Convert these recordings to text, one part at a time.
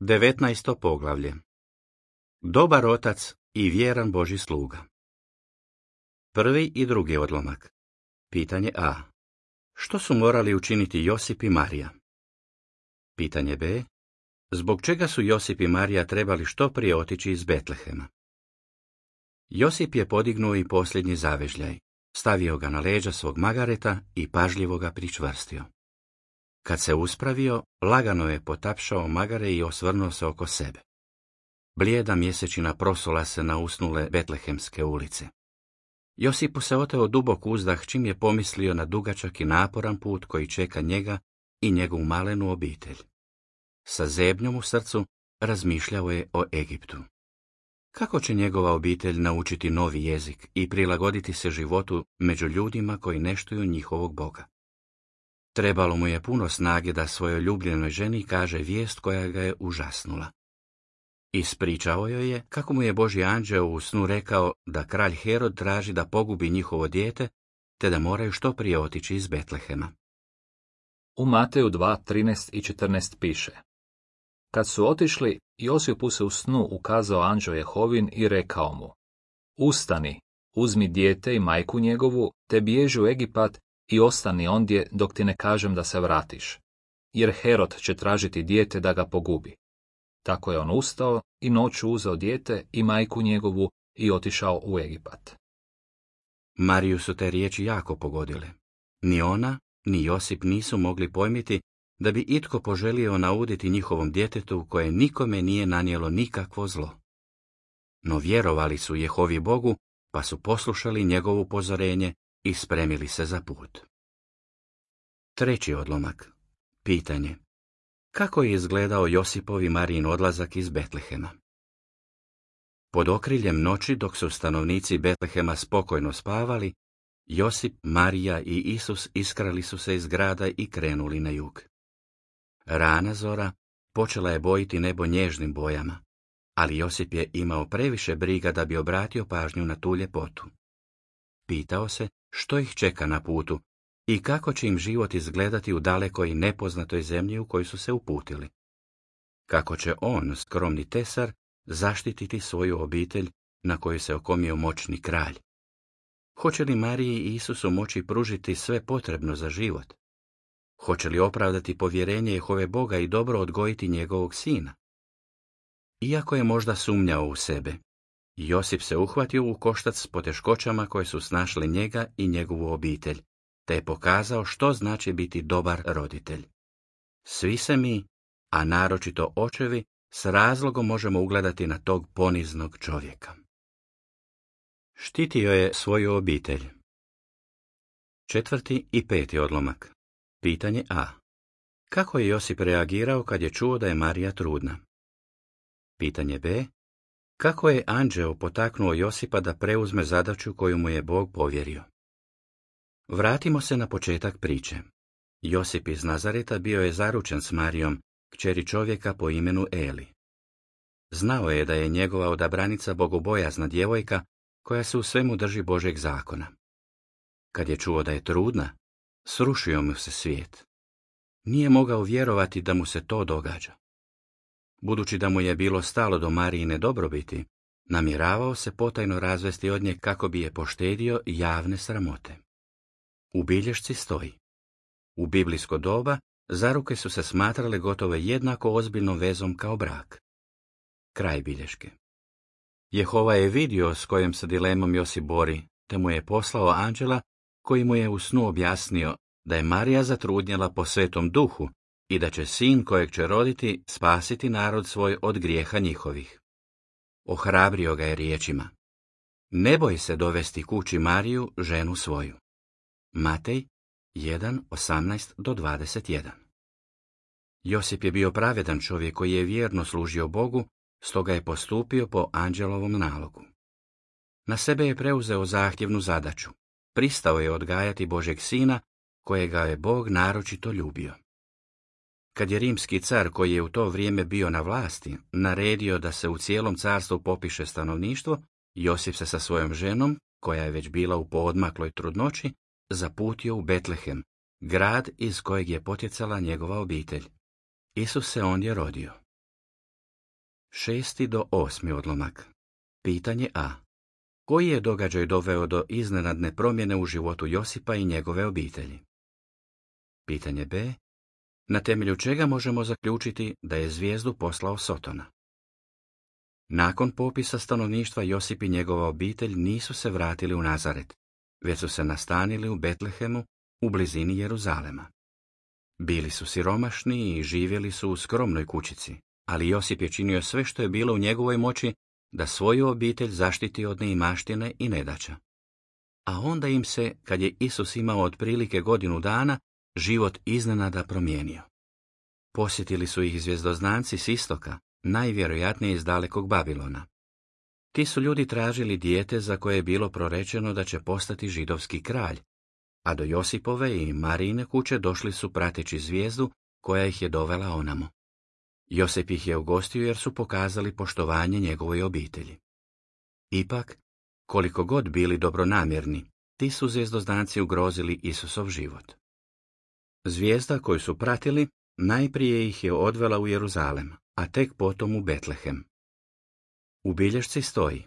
19. poglavlje. Dobar otac i vjeran Božji sluga. Prvi i drugi odlomak. Pitanje A. Što su morali učiniti Josip i Marija? Pitanje B. Zbog čega su Josip i Marija trebali što prije otići iz Betlehema? Josip je podignuo i posljednji zavežljaj, stavio ga na leđa svog magareta i pažljivo ga pričvrstio. Kad se uspravio, lagano je potapšao magare i osvrnuo se oko sebe. Blijeda mjesečina prosula se na usnule betlehemske ulice. Josipu se oteo dubok uzdah čim je pomislio na dugačak i naporan put koji čeka njega i njegovu malenu obitelj. Sa zebnjom u srcu razmišljao je o Egiptu. Kako će njegova obitelj naučiti novi jezik i prilagoditi se životu među ljudima koji ne štuju njihovog Boga? Trebalo mu je puno snage da svojoj ljubljenoj ženi kaže vijest koja ga je užasnula. Ispričao joj je kako mu je Božji anđeo u snu rekao da kralj Herod traži da pogubi njihovo dijete, te da moraju što prije otići iz Betlehema. U Mateju 2:13 i 14 piše: Kad su otišli, Josipu se u snu ukazao anđeo Jehovin i rekao mu: Ustani, uzmi dijete i majku njegovu, te bježi u Egipat i ostani ondje dok ti ne kažem da se vratiš, jer Herod će tražiti dijete da ga pogubi. Tako je on ustao i noću uzeo dijete i majku njegovu i otišao u Egipat. Mariju su te riječi jako pogodile. Ni ona, ni Josip nisu mogli pojmiti da bi itko poželio nauditi njihovom djetetu koje nikome nije nanijelo nikakvo zlo. No vjerovali su Jehovi Bogu, pa su poslušali njegovo upozorenje i spremili se za put. Treći odlomak. Pitanje. Kako je izgledao Josipov i Marijin odlazak iz Betlehema? Pod okriljem noći, dok su stanovnici Betlehema spokojno spavali, Josip, Marija i Isus iskrali su se iz grada i krenuli na jug. Rana zora počela je bojiti nebo nježnim bojama, ali Josip je imao previše briga da bi obratio pažnju na tu ljepotu. Pitao se što ih čeka na putu i kako će im život izgledati u dalekoj i nepoznatoj zemlji u koju su se uputili. Kako će on, skromni tesar, zaštititi svoju obitelj na koju se okomio moćni kralj? Hoće li Mariji i Isusu moći pružiti sve potrebno za život? Hoće li opravdati povjerenje Jehove Boga i dobro odgojiti njegovog sina? Iako je možda sumnjao u sebe, Josip se uhvatio u koštac s poteškoćama koje su snašle njega i njegovu obitelj, te je pokazao što znači biti dobar roditelj. Svi se mi, a naročito očevi, s razlogom možemo ugledati na tog poniznog čovjeka. Štitio je svoju obitelj. Četvrti i peti odlomak. Pitanje A. Kako je Josip reagirao kad je čuo da je Marija trudna? Pitanje B. Kako je anđeo potaknuo Josipa da preuzme zadaću koju mu je Bog povjerio? Vratimo se na početak priče. Josip iz Nazareta bio je zaručen s Marijom, kćeri čovjeka po imenu Eli. Znao je da je njegova odabranica bogobojazna djevojka koja se u svemu drži Božjeg zakona. Kad je čuo da je trudna, srušio mu se svijet. Nije mogao vjerovati da mu se to događa. Budući da mu je bilo stalo do Marijine dobrobiti, namjeravao se potajno razvesti od nje kako bi je poštedio javne sramote. U bilješci stoji: u biblijsko doba zaruke su se smatrale gotovo jednako ozbiljnom vezom kao brak. Kraj bilješke. Jehova je vidio s kojom se dilemom Josip bori, te mu je poslao anđela koji mu je u snu objasnio da je Marija zatrudnjela po Svetom Duhu i da će sin kojeg će roditi spasiti narod svoj od grijeha njihovih. Ohrabrio ga je riječima: ne boj se dovesti kući Mariju, ženu svoju. Matej 1:18-21. Josip je bio pravedan čovjek koji je vjerno služio Bogu, stoga je postupio po anđelovom nalogu. Na sebe je preuzeo zahtjevnu zadaću. Pristao je odgajati Božjeg sina, kojega je Bog naročito ljubio. Kad je rimski car, koji je u to vrijeme bio na vlasti, naredio da se u cijelom carstvu popiše stanovništvo, Josip se sa svojom ženom, koja je već bila u poodmakloj trudnoći, zaputio u Betlehem, grad iz kojeg je potjecala njegova obitelj. Isus se ondje rodio. 6. do 8. odlomak. Pitanje A. Koji je događaj doveo do iznenadne promjene u životu Josipa i njegove obitelji? Pitanje B. Na temelju čega možemo zaključiti da je zvijezdu poslao Sotona? Nakon popisa stanovništva Josip i njegova obitelj nisu se vratili u Nazaret, već su se nastanili u Betlehemu u blizini Jeruzalema. Bili su siromašni i živjeli su u skromnoj kućici, ali Josip je činio sve što je bilo u njegovoj moći da svoju obitelj zaštiti od neimaštine i nedaća. A onda im se, kad je Isus imao otprilike godinu dana, život iznenada promijenio. Posjetili su ih zvjezdoznanci s istoka, najvjerojatnije iz dalekog Babilona. Ti su ljudi tražili dijete za koje je bilo prorečeno da će postati židovski kralj, a do Josipove i Marijine kuće došli su prateći zvijezdu koja ih je dovela onamo. Josip ih je ugostio jer su pokazali poštovanje njegovoj obitelji. Ipak, koliko god bili dobronamjerni, ti su zvjezdoznanci ugrozili Isusov život. Zvijezda koju su pratili najprije ih je odvela u Jeruzalem, a tek potom u Betlehem. U bilješci stoji: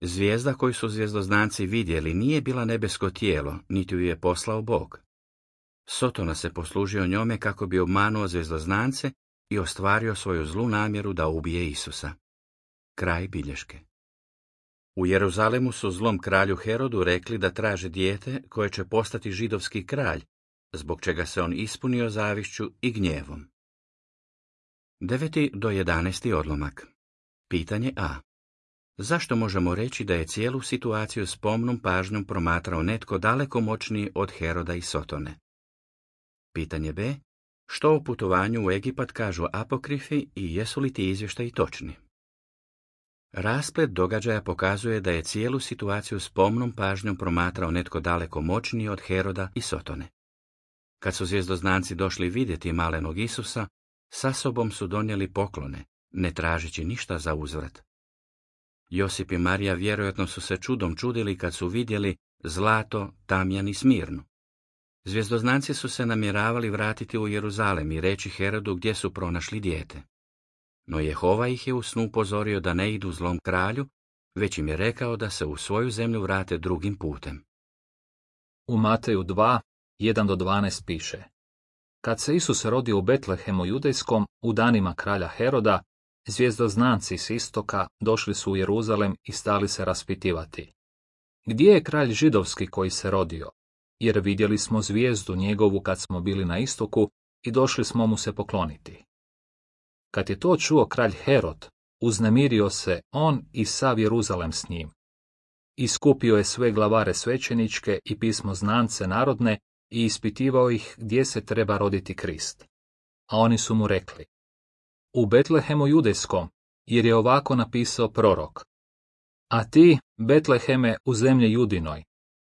zvijezda koju su zvjezdoznanci vidjeli nije bila nebesko tijelo, niti ju je poslao Bog. Sotona se poslužio njome kako bi obmanuo zvjezdoznance i ostvario svoju zlu namjeru da ubije Isusa. Kraj bilješke. U Jeruzalemu su zlom kralju Herodu rekli da traže dijete koje će postati židovski kralj, zbog čega se on ispunio zavišću i gnjevom. 9. do 11. odlomak. Pitanje A. Zašto možemo reći da je cijelu situaciju s pomnom pažnjom promatrao netko daleko moćniji od Heroda i Sotone? Pitanje B. Što o putovanju u Egipat kažu apokrifi i jesu li ti izvještaji točni? Rasplet događaja pokazuje da je cijelu situaciju s pomnom pažnjom promatrao netko daleko moćniji od Heroda i Sotone. Kad su zvjezdoznanci došli vidjeti malenog Isusa, sa sobom su donijeli poklone, ne tražeći ništa za uzvrat. Josip i Marija vjerojatno su se čudom čudili kad su vidjeli zlato, tamjan i smirnu. Zvjezdoznanci su se namjeravali vratiti u Jeruzalem i reći Herodu gdje su pronašli dijete. No Jehova ih je u snu upozorio da ne idu zlom kralju, već im je rekao da se u svoju zemlju vrate drugim putem. U Mateju 2, 1 do 12 piše: Kad se Isus rodio u Betlehemu judejskom u danima kralja Heroda, zvjezdoznanci s istoka došli su u Jeruzalem i stali se raspitivati: Gdje je kralj židovski koji se rodio? Jer vidjeli smo zvijezdu njegovu kad smo bili na istoku i došli smo mu se pokloniti. Kad je to čuo kralj Herod, uznemirio se on i sav Jeruzalem s njim. Iskupio je sve glavare svećeničke i pismoznance narodne i ispitivao ih gdje se treba roditi Krist. A oni su mu rekli: U Betlehemu judejskom, jer je ovako napisao prorok: A ti, Betleheme, u zemlji Judinoj,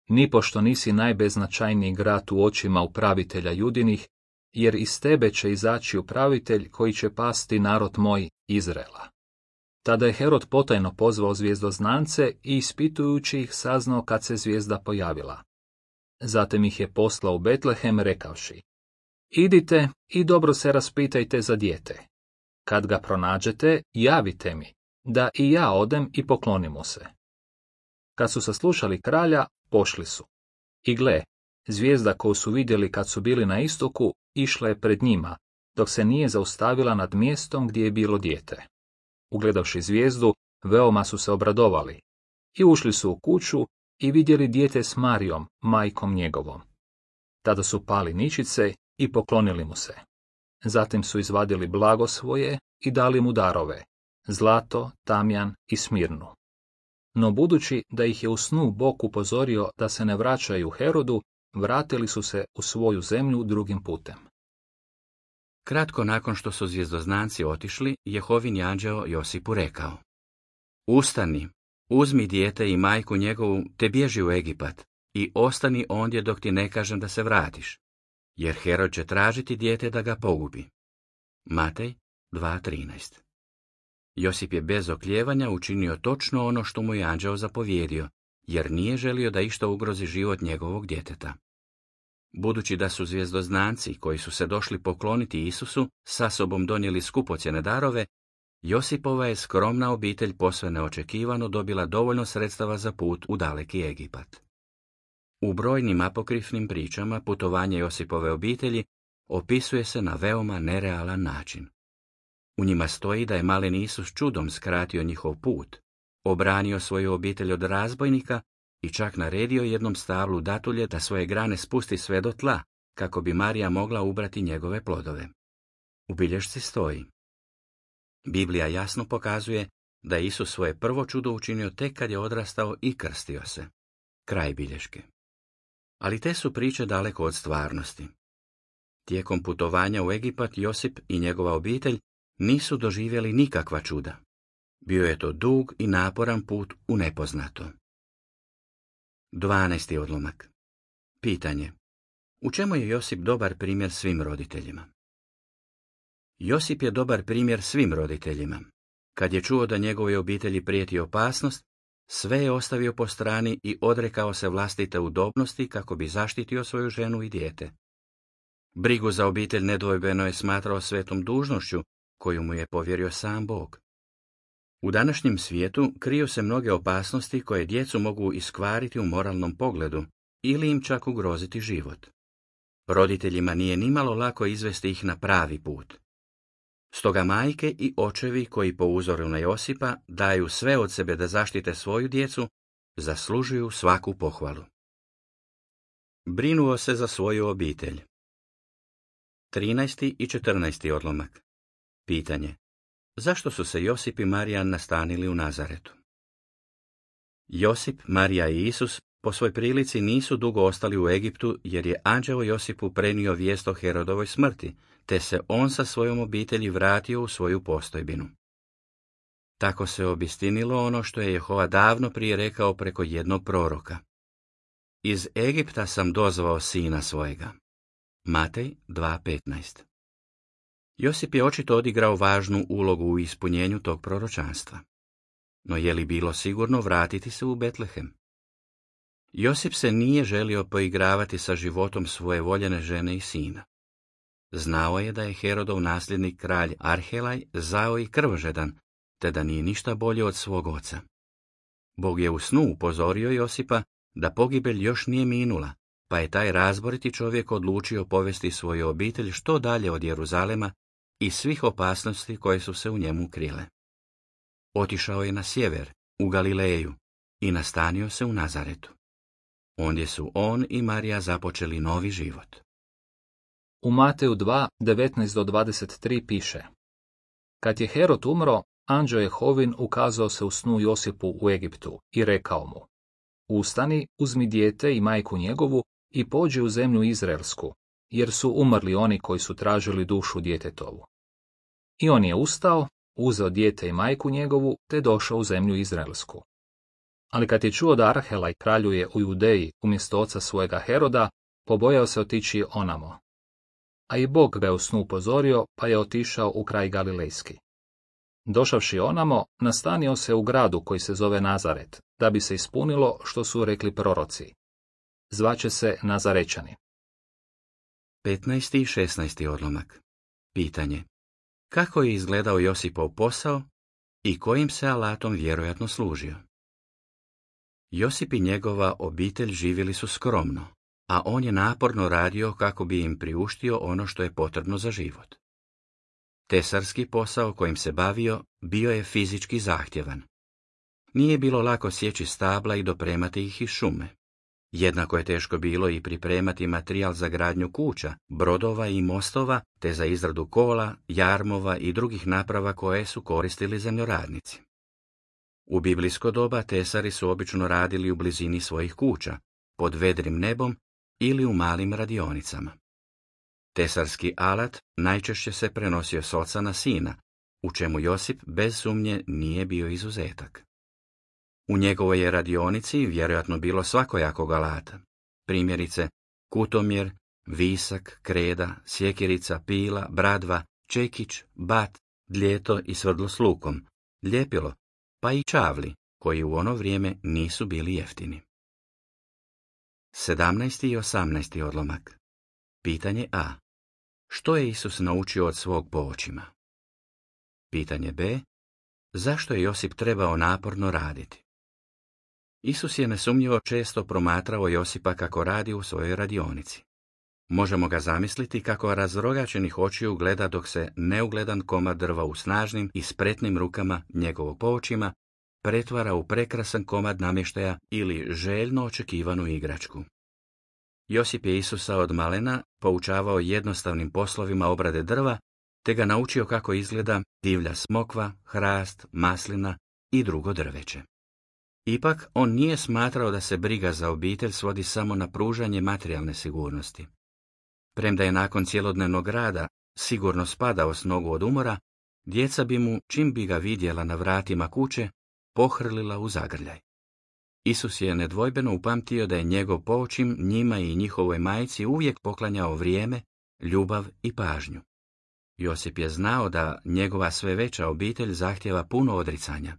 nipošto nisi najbeznačajniji grad u očima upravitelja Judinih, jer iz tebe će izaći upravitelj koji će pasti narod moj Izraela. Tada je Herod potajno pozvao zvjezdoznance i ispitujući ih saznao kad se zvijezda pojavila. Zatim ih je poslao u Betlehem rekavši: Idite i dobro se raspitajte za dijete. Kad ga pronađete, javite mi, da i ja odem i poklonim mu se. Kad su saslušali kralja, pošli su. I gle, zvijezda koju su vidjeli kad su bili na istoku, išla je pred njima, dok se nije zaustavila nad mjestom gdje je bilo dijete. Ugledavši zvijezdu, veoma su se obradovali. I ušli su u kuću i vidjeli dijete s Marijom, majkom njegovom. Tada su pali ničice i poklonili mu se. Zatim su izvadili blago svoje i dali mu darove: zlato, tamjan i smirnu. No budući da ih je u snu Bog upozorio da se ne vraćaju Herodu, vratili su se u svoju zemlju drugim putem. Kratko nakon što su zvjezdoznanci otišli, Jehovin anđeo Josipu rekao: Ustani, uzmi dijete i majku njegovu, te bježi u Egipat i ostani ondje dok ti ne kažem da se vratiš, jer Herod će tražiti dijete da ga pogubi. Matej 2.13. Josip je bez oklijevanja učinio točno ono što mu je anđeo zapovjedio, jer nije želio da išta ugrozi život njegovog djeteta. Budući da su zvjezdoznanci koji su se došli pokloniti Isusu sa sobom donijeli skupocjene darove, Josipova je skromna obitelj posve neočekivano dobila dovoljno sredstava za put u daleki Egipat. U brojnim apokrifnim pričama putovanje Josipove obitelji opisuje se na veoma nerealan način. U njima stoji da je malen Isus čudom skratio njihov put, obranio svoju obitelj od razbojnika i čak naredio jednom stablu datulje da svoje grane spusti sve do tla, kako bi Marija mogla ubrati njegove plodove. U bilješci stoji: Biblija jasno pokazuje da je Isus svoje prvo čudo učinio tek kad je odrastao i krstio se. Kraj bilješke. Ali te su priče daleko od stvarnosti. Tijekom putovanja u Egipat Josip i njegova obitelj nisu doživjeli nikakva čuda. Bio je to dug i naporan put u nepoznato. 12. odlomak. Pitanje: u čemu je Josip dobar primjer svim roditeljima? Josip je dobar primjer svim roditeljima. Kad je čuo da njegovoj obitelji prijeti opasnost, sve je ostavio po strani i odrekao se vlastite udobnosti kako bi zaštitio svoju ženu i dijete. Brigu za obitelj nedvojbeno je smatrao svetom dužnošću koju mu je povjerio sam Bog. U današnjem svijetu kriju se mnoge opasnosti koje djecu mogu iskvariti u moralnom pogledu ili im čak ugroziti život. Roditeljima nije nimalo lako izvesti ih na pravi put. Stoga majke i očevi koji po uzoru na Josipa daju sve od sebe da zaštite svoju djecu, zaslužuju svaku pohvalu. Brinuo se za svoju obitelj. 13. i 14. odlomak. Pitanje: zašto su se Josip i Marija nastanili u Nazaretu? Josip, Marija i Isus po svoj prilici nisu dugo ostali u Egiptu jer je anđeo Josipu prenio vijest o Herodovoj smrti, te se on sa svojom obitelji vratio u svoju postojbinu. Tako se obistinilo ono što je Jehova davno prije rekao preko jednog proroka: Iz Egipta sam dozvao sina svojega. Matej 2.15. Josip je očito odigrao važnu ulogu u ispunjenju tog proročanstva. No je li bilo sigurno vratiti se u Betlehem? Josip se nije želio poigravati sa životom svoje voljene žene i sina. Znao je da je Herodov nasljednik kralj Arhelaj zao i krvožedan, te da nije ništa bolje od svog oca. Bog je u snu upozorio Josipa da pogibelj još nije minula, pa je taj razboriti čovjek odlučio povesti svoju obitelj što dalje od Jeruzalema i svih opasnosti koje su se u njemu krile. Otišao je na sjever, u Galileju, i nastanio se u Nazaretu. Ondje su on i Marija započeli novi život. U Mateju 2, 19-23 piše: Kad je Herod umro, anđeo Jehovin ukazao se u snu Josipu u Egiptu i rekao mu: Ustani, uzmi dijete i majku njegovu i pođi u zemlju Izraelsku, jer su umrli oni koji su tražili dušu djetetovu. I on je ustao, uzeo dijete i majku njegovu, te došao u zemlju Izraelsku. Ali kad je čuo da Arhelaj kraljuje u Judeji umjesto oca svojega Heroda, pobojao se otići onamo. A i Bog ga je u snu upozorio, pa je otišao u kraj Galilejski. Došavši onamo, nastanio se u gradu koji se zove Nazaret, da bi se ispunilo što su rekli proroci. Zvaće se Nazarečani. 15. i 16. odlomak. Pitanje: kako je izgledao Josipov posao i kojim se alatom vjerojatno služio? Josip i njegova obitelj živjeli su skromno, a on je naporno radio kako bi im priuštio ono što je potrebno za život. Tesarski posao kojim se bavio bio je fizički zahtjevan. Nije bilo lako sjeći stabla i dopremati ih iz šume. Jednako je teško bilo i pripremati materijal za gradnju kuća, brodova i mostova, te za izradu kola, jarmova i drugih naprava koje su koristili zemljoradnici. U biblijsko doba tesari su obično radili u blizini svojih kuća, pod vedrim nebom ili u malim radionicama. Tesarski alat najčešće se prenosio s oca na sina, u čemu Josip bez sumnje nije bio izuzetak. U njegovoj je radionici vjerojatno bilo svakojakog alata, primjerice kutomjer, visak, kreda, sjekirica, pila, bradva, čekić, bat, dljeto i svrdlo s lukom, ljepilo, pa i čavli, koji u ono vrijeme nisu bili jeftini. 17. i 18. odlomak. Pitanje A. Što je Isus naučio od svog poočima? Pitanje B. zašto je Josip trebao naporno raditi? Isus je nesumnjivo često promatrao Josipa kako radi u svojoj radionici. Možemo ga zamisliti kako razrogačenih očiju gleda dok se neugledan komad drva u snažnim i spretnim rukama njegovog poočima pretvara u prekrasan komad namještaja ili željno očekivanu igračku. Josip je Isusa od malena poučavao jednostavnim poslovima obrade drva, te ga naučio kako izgleda divlja smokva, hrast, maslina i drugo drveće. Ipak, on nije smatrao da se briga za obitelj svodi samo na pružanje materijalne sigurnosti. Premda je nakon cjelodnevnog rada sigurno spadao s nogu od umora, djeca bi mu, čim bi ga vidjela na vratima kuće, pohrlila u zagrljaj. Isus je nedvojbeno upamtio da je njegov poočim njima i njihovoj majci uvijek poklanjao vrijeme, ljubav i pažnju. Josip je znao da njegova sve veća obitelj zahtjeva puno odricanja.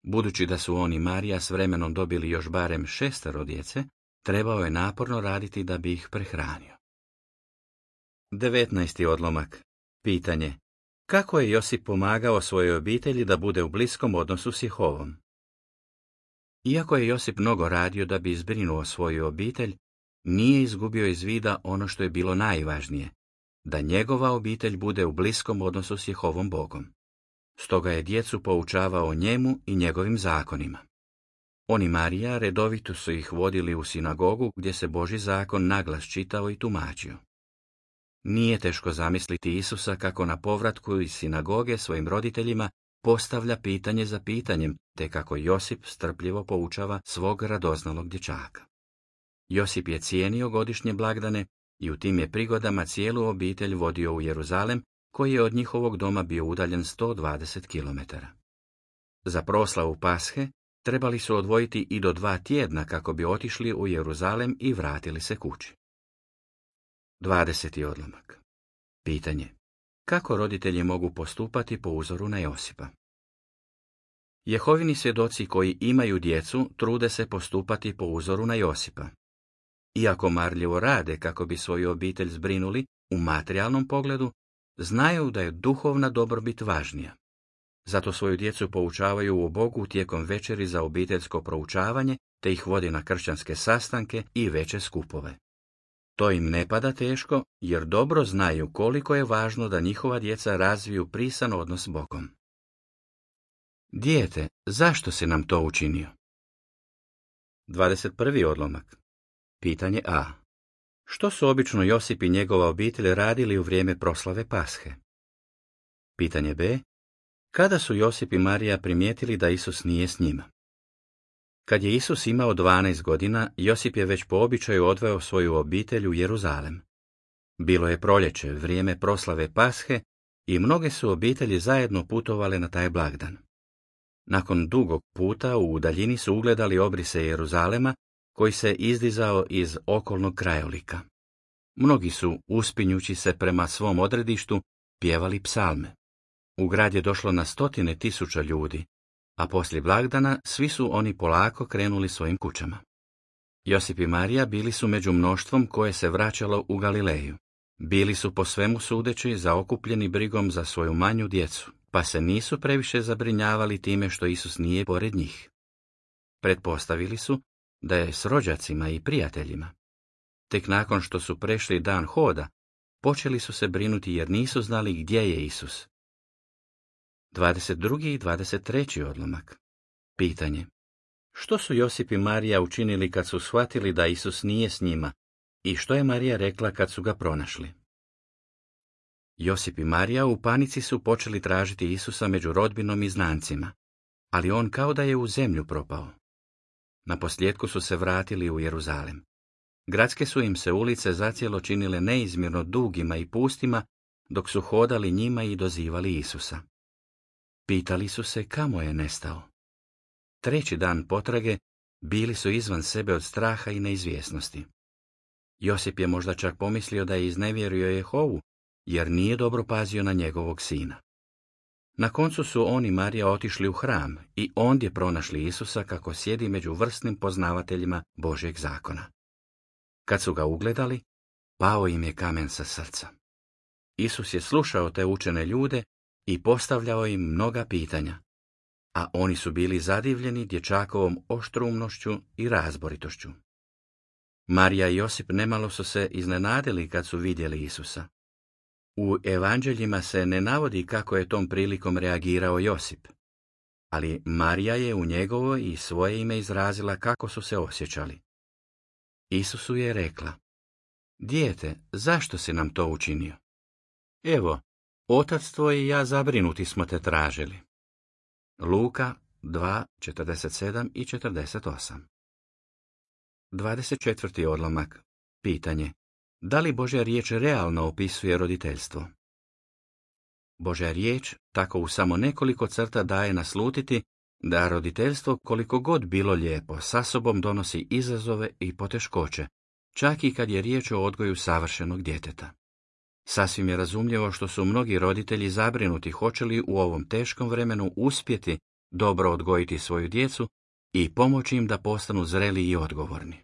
Budući da su on i Marija s vremenom dobili još barem 6 djece, trebao je naporno raditi da bi ih prehranio. 19. odlomak. Pitanje. Kako je Josip pomagao svojoj obitelji da bude u bliskom odnosu s Jehovom? Iako je Josip mnogo radio da bi izbrinuo svoju obitelj, nije izgubio iz vida ono što je bilo najvažnije, da njegova obitelj bude u bliskom odnosu s Jehovom Bogom. Stoga je djecu poučavao njemu i njegovim zakonima. On i Marija redovito su ih vodili u sinagogu gdje se Božji zakon naglas čitao i tumačio. Nije teško zamisliti Isusa kako na povratku iz sinagoge svojim roditeljima postavlja pitanje za pitanjem, te kako Josip strpljivo poučava svog radoznalog dječaka. Josip je cijenio godišnje blagdane i u tim je prigodama cijelu obitelj vodio u Jeruzalem, koji je od njihovog doma bio udaljen 120 km. Za proslavu Pashe trebali su odvojiti i do 2 tjedna kako bi otišli u Jeruzalem i vratili se kući. 20. odlomak. Pitanje. Kako roditelji mogu postupati po uzoru na Josipa? Jehovini svjedoci koji imaju djecu trude se postupati po uzoru na Josipa. Iako marljivo rade kako bi svoju obitelj zbrinuli u materijalnom pogledu, znaju da je duhovna dobrobit važnija. Zato svoju djecu poučavaju o Bogu tijekom večeri za obiteljsko proučavanje, te ih vodi na kršćanske sastanke i veće skupove. To im ne pada teško, jer dobro znaju koliko je važno da njihova djeca razviju prisan odnos s Bogom. Dijete, zašto si nam to učinio? 21. odlomak. Pitanje A. Što su obično Josip i njegova obitelj radili u vrijeme proslave Pashe? Pitanje B. Kada su Josip i Marija primijetili da Isus nije s njima? Kad je Isus imao 12 godina, Josip je već po običaju odveo svoju obitelj u Jeruzalem. Bilo je proljeće, vrijeme proslave Pashe, i mnoge su obitelji zajedno putovale na taj blagdan. Nakon dugog puta u daljini su ugledali obrise Jeruzalema, koji se izdizao iz okolnog krajolika. Mnogi su, uspinjući se prema svom odredištu, pjevali psalme. U grad je došlo na 100.000 ljudi, a poslije blagdana svi su oni polako krenuli svojim kućama. Josip i Marija bili su među mnoštvom koje se vraćalo u Galileju. Bili su po svemu sudeći zaokupljeni brigom za svoju manju djecu, pa se nisu previše zabrinjavali time što Isus nije pored njih. Pretpostavili su da je s rođacima i prijateljima. Tek nakon što su prešli dan hoda, počeli su se brinuti jer nisu znali gdje je Isus. 22. i 23. odlomak. Pitanje. Što su Josip i Marija učinili kad su shvatili da Isus nije s njima i što je Marija rekla kad su ga pronašli? Josip i Marija u panici su počeli tražiti Isusa među rodbinom i znancima, ali on kao da je u zemlju propao. Naposljetku su se vratili u Jeruzalem. Gradske su im se ulice zacijelo činile neizmjerno dugima i pustima, dok su hodali njima i dozivali Isusa. Pitali su se kamo je nestao. 3. dan potrage bili su izvan sebe od straha i neizvjesnosti. Josip je možda čak pomislio da je iznevjerio Jehovu, jer nije dobro pazio na njegovog sina. Na koncu su on i Marija otišli u hram i ondje pronašli Isusa kako sjedi među vrsnim poznavateljima Božjeg zakona. Kad su ga ugledali, pao im je kamen sa srca. Isus je slušao te učene ljude i postavljao im mnoga pitanja, a oni su bili zadivljeni dječakovom oštrumnošću i razboritošću. Marija i Josip nemalo su se iznenadili kad su vidjeli Isusa. U evanđeljima se ne navodi kako je tom prilikom reagirao Josip, ali Marija je u njegovo i svoje ime izrazila kako su se osjećali. Isusu je rekla: Dijete, zašto si nam to učinio? Evo, otac tvoj i ja zabrinuti smo te tražili. Luka 2:47 i 48. 24. odlomak. Pitanje: da li Božja riječ realno opisuje roditeljstvo? Božja riječ tako u samo nekoliko crta daje naslutiti da roditeljstvo, koliko god bilo lijepo, sa sobom donosi izazove i poteškoće, čak i kad je riječ o odgoju savršenog djeteta. Sasvim je razumljivo što su mnogi roditelji zabrinuti hoće li u ovom teškom vremenu uspjeti dobro odgojiti svoju djecu i pomoći im da postanu zreli i odgovorni.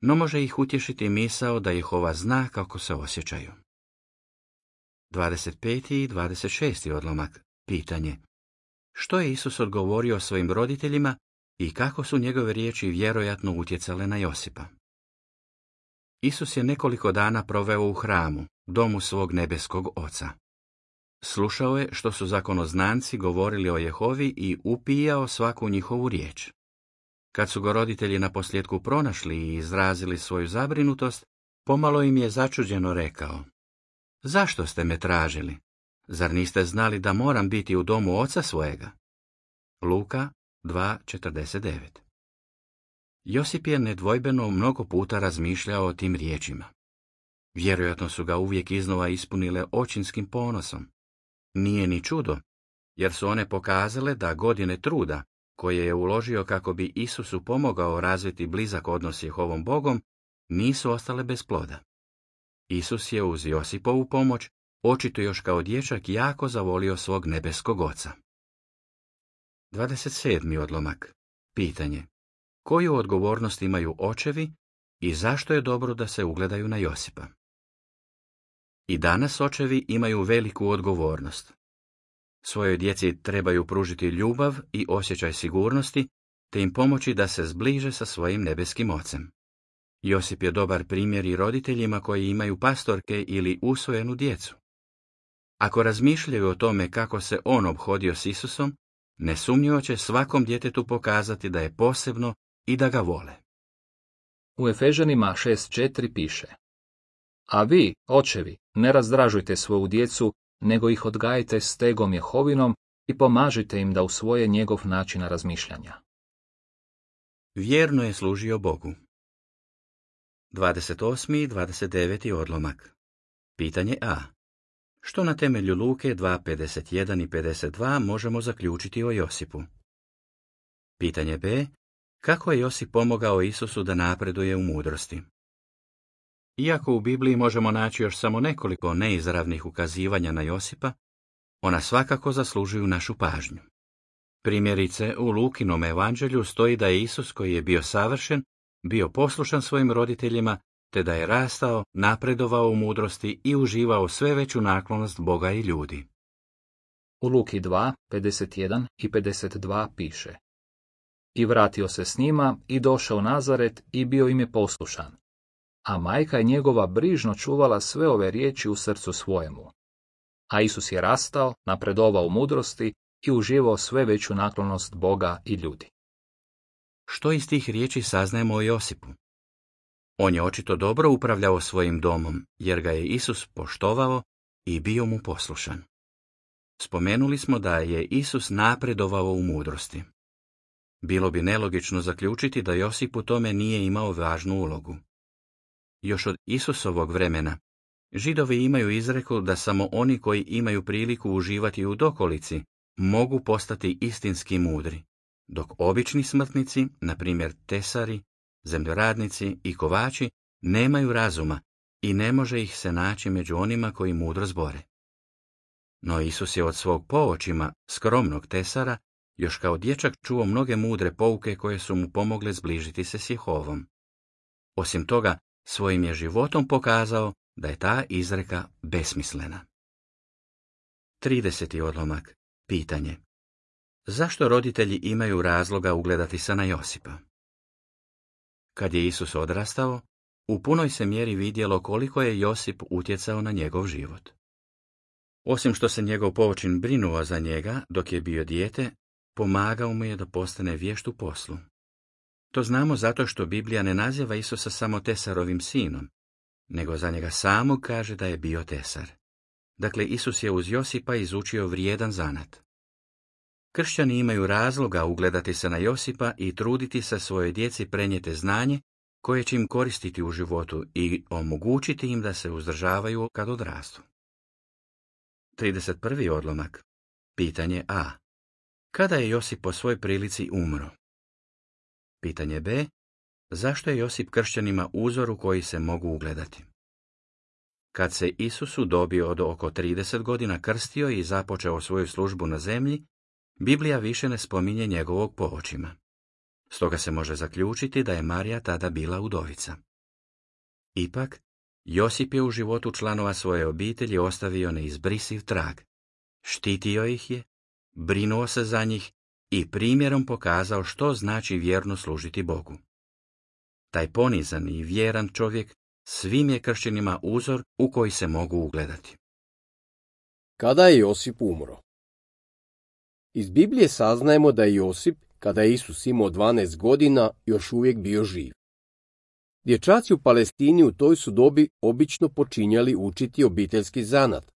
No može ih utješiti misao da Jehova zna kako se osjećaju. 25. i 26. odlomak. Pitanje: što je Isus odgovorio svojim roditeljima i kako su njegove riječi vjerojatno utjecale na Josipa? Isus je nekoliko dana proveo u hramu, domu svog nebeskog Oca. Slušao je što su zakonoznanci govorili o Jehovi i upijao svaku njihovu riječ. Kad su ga roditelji naposljetku pronašli i izrazili svoju zabrinutost, pomalo im je začuđeno rekao: zašto ste me tražili? Zar niste znali da moram biti u domu oca svojega? Luka 2:49. Josip je nedvojbeno mnogo puta razmišljao o tim riječima. Vjerojatno su ga uvijek iznova ispunile očinskim ponosom. Nije ni čudo, jer su one pokazale da godine truda, koje je uložio kako bi Isusu pomogao razviti blizak odnos s Jehovom Bogom, nisu ostale bez ploda. Isus je uz Josipovu pomoć očito još kao dječak jako zavolio svog nebeskog Oca. 27. odlomak. Pitanje: koju odgovornost imaju očevi i zašto je dobro da se ugledaju na Josipa? I danas očevi imaju veliku odgovornost. Svojoj djeci trebaju pružiti ljubav i osjećaj sigurnosti, te im pomoći da se zbliže sa svojim nebeskim Ocem. Josip je dobar primjer i roditeljima koji imaju pastorke ili usvojenu djecu. Ako razmišljaju o tome kako se on ophodio s Isusom, nesumnjivo će svakom djetetu pokazati da je posebno i da ga vole. U Efežanima 6:4 piše: a vi, očevi, ne razdražujte svoju djecu, nego ih odgajite stegom Jehovinom i pomažite im da usvoje njegov način razmišljanja. Vjerno je služio Bogu. 28. i 29. odlomak. Pitanje A. Što na temelju Luke 2:51 i 52 možemo zaključiti o Josipu? Pitanje B. Kako je Josip pomogao Isusu da napreduje u mudrosti? Iako u Bibliji možemo naći još samo nekoliko neizravnih ukazivanja na Josipa, ona svakako zaslužuju našu pažnju. Primjerice, u Lukinom evanđelju stoji da je Isus, koji je bio savršen, bio poslušan svojim roditeljima, te da je rastao, napredovao u mudrosti i uživao sve veću naklonost Boga i ljudi. U Luki 2:51 i 52 piše: i vratio se s njima i došao u Nazaret i bio im je poslušan. A majka je njegova brižno čuvala sve ove riječi u srcu svojemu. A Isus je rastao, napredovao u mudrosti i uživao sve veću naklonost Boga i ljudi. Što iz tih riječi saznajemo o Josipu? On je očito dobro upravljao svojim domom, jer ga je Isus poštovao i bio mu poslušan. Spomenuli smo da je Isus napredovao u mudrosti. Bilo bi nelogično zaključiti da Josip u tome nije imao važnu ulogu. Još od Isusovog vremena, Židovi imaju izreku da samo oni koji imaju priliku uživati u dokolici mogu postati istinski mudri, dok obični smrtnici, na primjer tesari, zemljoradnici i kovači, nemaju razuma i ne može ih se naći među onima koji mudro zbore. No Isus je od svog poočima, skromnog tesara, još kao dječak čuo mnoge mudre pouke koje su mu pomogle zbližiti se s Jehovom. Osim toga, svojim je životom pokazao da je ta izreka besmislena. 30. odlomak. Pitanje: Zašto roditelji imaju razloga ugledati se na Josipa? Kad je Isus odrastao, u punoj se mjeri vidjelo koliko je Josip utjecao na njegov život. Osim što se njegov poočin brinuo za njega dok je bio dijete, pomagao mu je da postane vješt u poslu. To znamo zato što Biblija ne naziva Isusa samo tesarovim sinom, nego za njega samog kaže da je bio tesar. Dakle, Isus je uz Josipa izučio vrijedan zanat. Kršćani imaju razloga ugledati se na Josipa i truditi se svojoj djeci prenijeti znanje koje će im koristiti u životu i omogućiti im da se uzdržavaju kad odrastu. 31. odlomak. Pitanje A. Kada je Josip po svojoj prilici umro? Pitanje B. Zašto je Josip kršćanima uzor u koji se mogu ugledati? Kad se Isus u dobi od oko 30 godina krstio i započeo svoju službu na zemlji, Biblija više ne spominje njegovog poočima. Stoga se može zaključiti da je Marija tada bila udovica. Ipak, Josip je u životu članova svoje obitelji ostavio neizbrisiv trag. Štitio ih je, brinuo se za njih i primjerom pokazao što znači vjerno služiti Bogu. Taj ponizan i vjeran čovjek svim je kršćanima uzor u koji se mogu ugledati. Kada je Josip umro? Iz Biblije saznajemo da je Josip, kada je Isus imao 12 godina, još uvijek bio živ. Dječaci u Palestini u toj su dobi obično počinjali učiti obiteljski zanat,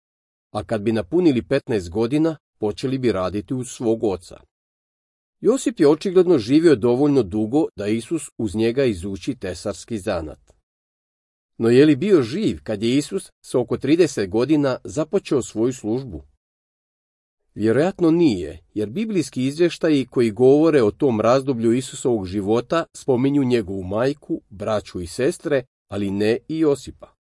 a kad bi napunili 15 godina, počeli bi raditi uz svog oca. Josip je očigledno živio dovoljno dugo da Isus uz njega izuči tesarski zanat. No je li bio živ kad je Isus s oko 30 godina započeo svoju službu? Vjerojatno nije, jer biblijski izvještaji koji govore o tom razdoblju Isusovog života spominju njegovu majku, braću i sestre, ali ne i Josipa.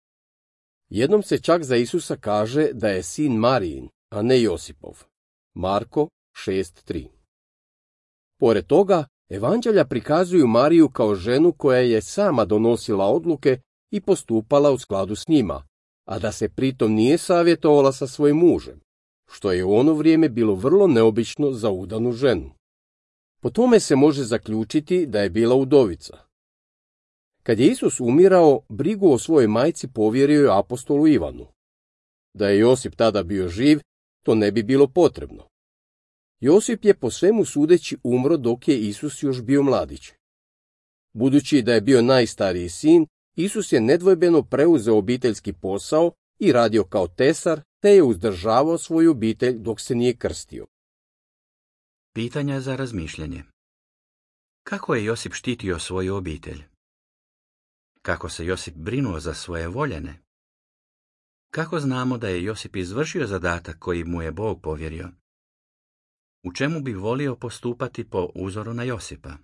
Jednom se čak za Isusa kaže da je sin Marijin, a ne Josipov. Marko 6.3. Pored toga, evanđelja prikazuju Mariju kao ženu koja je sama donosila odluke i postupala u skladu s njima, a da se pritom nije savjetovala sa svojim mužem, što je u ono vrijeme bilo vrlo neobično za udanu ženu. Po tome se može zaključiti da je bila udovica. Kad je Isus umirao, brigu o svojoj majci povjerio je apostolu Ivanu. Da je Josip tada bio živ, to ne bi bilo potrebno. Josip je po svemu sudeći umro dok je Isus još bio mladić. Budući da je bio najstariji sin, Isus je nedvojbeno preuzeo obiteljski posao i radio kao tesar, te je uzdržavao svoju obitelj dok se nije krstio. Pitanja za razmišljanje. Kako je Josip štitio svoju obitelj? Kako se Josip brinuo za svoje voljene? Kako znamo da je Josip izvršio zadatak koji mu je Bog povjerio? U čemu bi volio postupati po uzoru na Josipa?